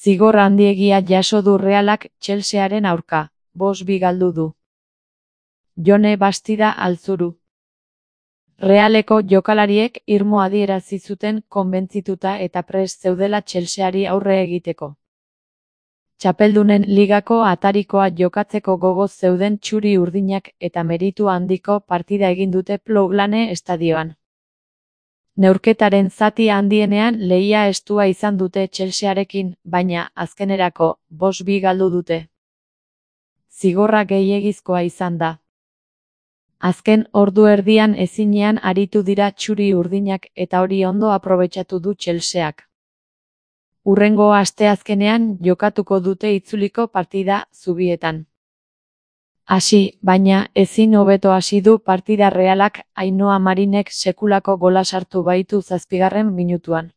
Zigor handiegia jaso du Realak Chelsearen aurka, 5-2 galdu du. Jone Bastida Altzuru. Realeko jokalariek irmo adierazi zuten konbentzituta eta prest zeudela Chelseari aurre egiteko. Txapeldunen ligako atarikoa jokatzeko gogoz zeuden txuri urdinak eta meritu handiko partida egin dute Ploughlane estadioan. Neurketaren zati handienean lehia estua izan dute Chelsearekin, baina azkenerako 5-2 galdu dute. Zigorra gehiegizkoa izan da. Azken ordu erdian ezinean aritu dira txuri urdinak eta hori ondo aprobetxatu du Chelseak. Hurrengo asteazkenean jokatuko dute itzuliko partida Zubietan. Hasi, baina ezin hobeto hasi du partida Realak Ainhoa Marinek sekulako gola sartu baitu 7. minutuan.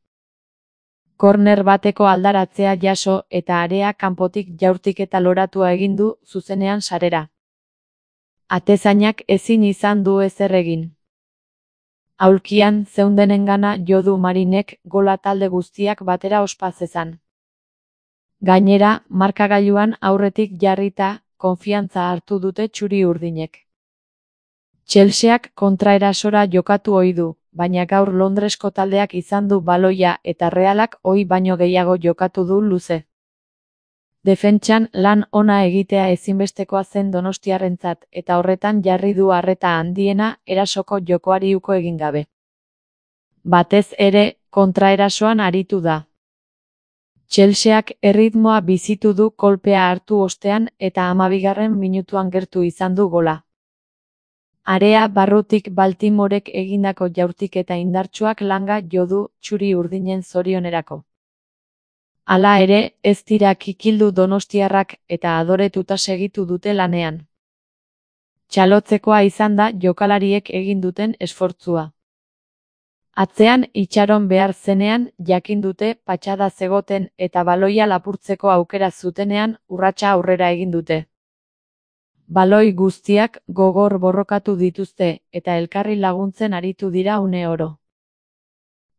Korner bateko aldaratzea jaso eta area kanpotik jaurtiketa loratua egin du zuzenean sarera. Atezainak ezin izan du ezer egin. Aulkian zeundenengana jo du Marinek gola talde guztiak batera ospa zezan. Gainera, markagailuan aurretik jarrita, konfiantza hartu dute txuri urdinek. Chelseak kontraerasora jokatu ohi du, baina gaur Londresko taldeak izan du baloia eta Realak ohi baino gehiago jokatu du luze. Defentsan lan ona egitea ezinbestekoa zen donostiarrentzat eta horretan jarri du arreta handiena erasoko jokoari uko egin gabe. Batez ere, kontraerasoan aritu da. Chelseak erritmoa bizitu du kolpea hartu ostean eta 12. minutuan gertu izan du gola. Area barrutik Baltimorek egindako jaurtiketa indartsuak langa jo du txuri urdinen zorionerako. Hala ere, ez dira kikildu donostiarrak eta adoretuta segitu dute lanean. Txalotzekoa izan da jokalariek egin duten esfortzua. Atzean itxaron behar zenean jakin dute patxada zegoten eta baloia lapurtzeko aukera zutenean urratsa aurrera egin dute. Baloi guztiak gogor borrokatu dituzte eta elkarri laguntzen aritu dira une oro.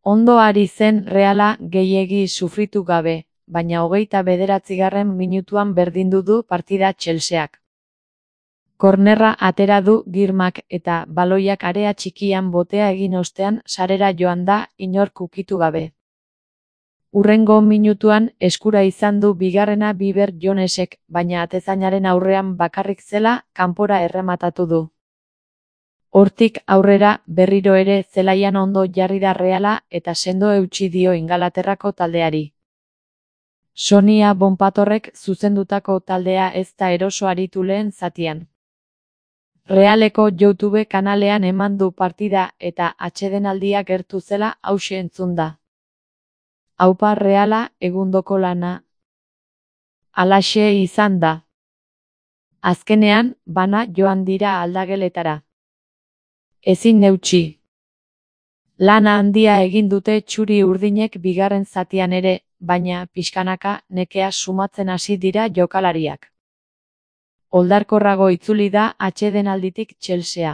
Ondo ari zen Reala gehiegi sufritu gabe, baina 29. minutuan berdindu du partida Chelseak. Kornerra atera du Girmak eta baloiak area txikian botea egin ostean sarera joan da inork ukitu gabe. Hurrengo minutuan eskura izan du bigarrena Biber Jonesek, baina atezainaren aurrean bakarrik zela kanpora errematatu du. Hortik aurrera berriro ere zelaian ondo jarri da Reala eta sendo eutsi dio Ingalaterrako taldeari. Sonia Bonpatorrek zuzendutako taldea ez da eroso aritu lehen zatian. Realeko YouTube kanalean eman du partida eta atsedenaldia gertu zela hauxe entzun da. Aupa Reala egundoko lana. Halaxe izan da. Azkenean, bana joan dira aldageletara. Ezin neutsi. Lana handia egin dute txuri urdinek bigarren zatian ere, baina pixkanaka nekea sumatzen hasi dira jokalariak. Oldarkorrago itzuli da atsedenalditik Chelsea.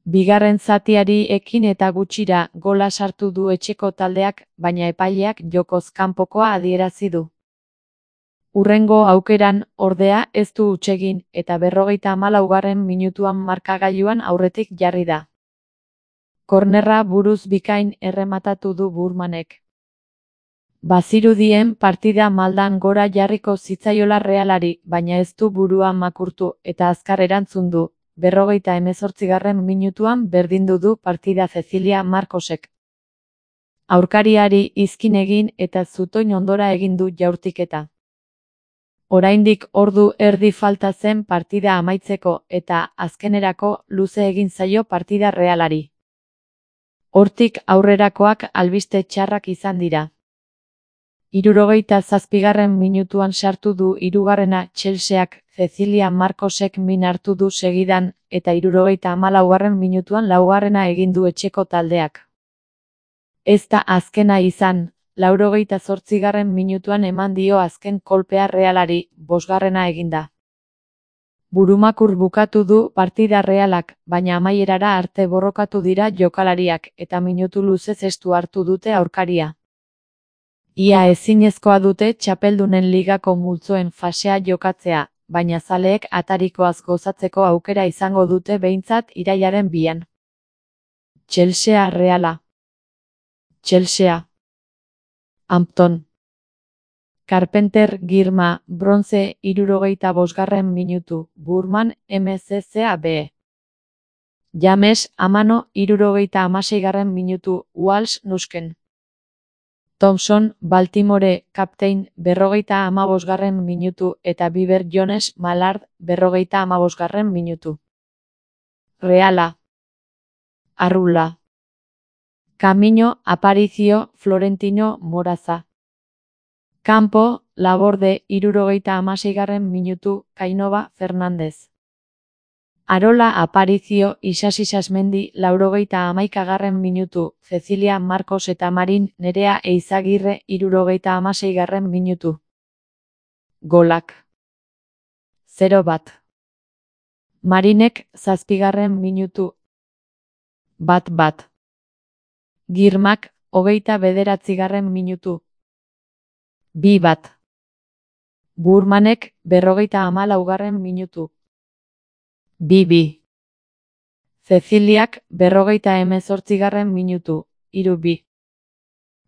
Bigarren zatiari ekin eta gutxira gola sartu du etxeko taldeak, baina epaileak jokoz kanpokoa adierazi du. Hurrengo aukeran, ordea, ez du hutsegin eta 54. minutuan markagailuan aurretik jarri da. Kornerra buruz bikain errematatu du Burmanek. Bazirudien partida maldan gora jarriko zitzaiola Realari, baina ez du burua makurtu eta azkar erantzun du. 58. minutuan berdindu du partida Cecilia Marcosek. Aurkariari izkin egin eta zutoin ondora egin du jaurtiketa. Oraindik ordu erdi falta zen partida amaitzeko eta azkenerako luze egin zaio partida Realari. Hortik aurrerakoak albiste txarrak izan dira. 67. minutuan sartu du hirugarrena Chelseak, Cecilia Marcosek min hartu du segidan, eta 74. minutuan laugarrena egin du etxeko taldeak. Ez da azkena izan, 88. minutuan eman dio azken kolpea Realari, 5. eginda. Burumakur bukatu du partida Realak, baina amaierara arte borrokatu dira jokalariak eta minutu luzez estu hartu dute aurkaria. Ia ezinezkoa dute txapeldunen ligako multzoen fasea jokatzea, baina zaleek atarikoaz gozatzeko aukera izango dute behintzat irailaren 2. Chelsea Reala. Chelsea. Hampton. Carpenter Girma, bronze 65. minutu, Burman MCCA B. James Amano 76. minutu, Walsh Nusken. Thompson, Baltimore, Captain 45. minutu eta Bieber Jones Mallard 45. minutu. Reala. Arrula. Camino Aparicio Florentino Moraza. Campo Laborde 76. minutu, Kainova Fernández. Arola Aparicio Isasi Sasmendi 91. minutu, Cecilia Marcos eta Marin Nerea Eizagirre 76. minutu. Golak. 0-1. Marinek 7. minutu. 1-1. Girmak 29. minutu. 2-1. Burmanek 54. minutu. 2-2. Ceciliak 48. minutu, 3-2.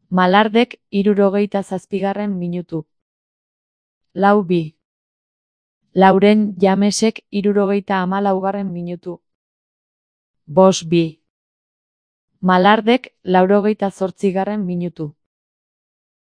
Malardek 67. minutu. 4-2. Lauren Jamesek 74. minutu. 5-2. Malardek 88. minutu.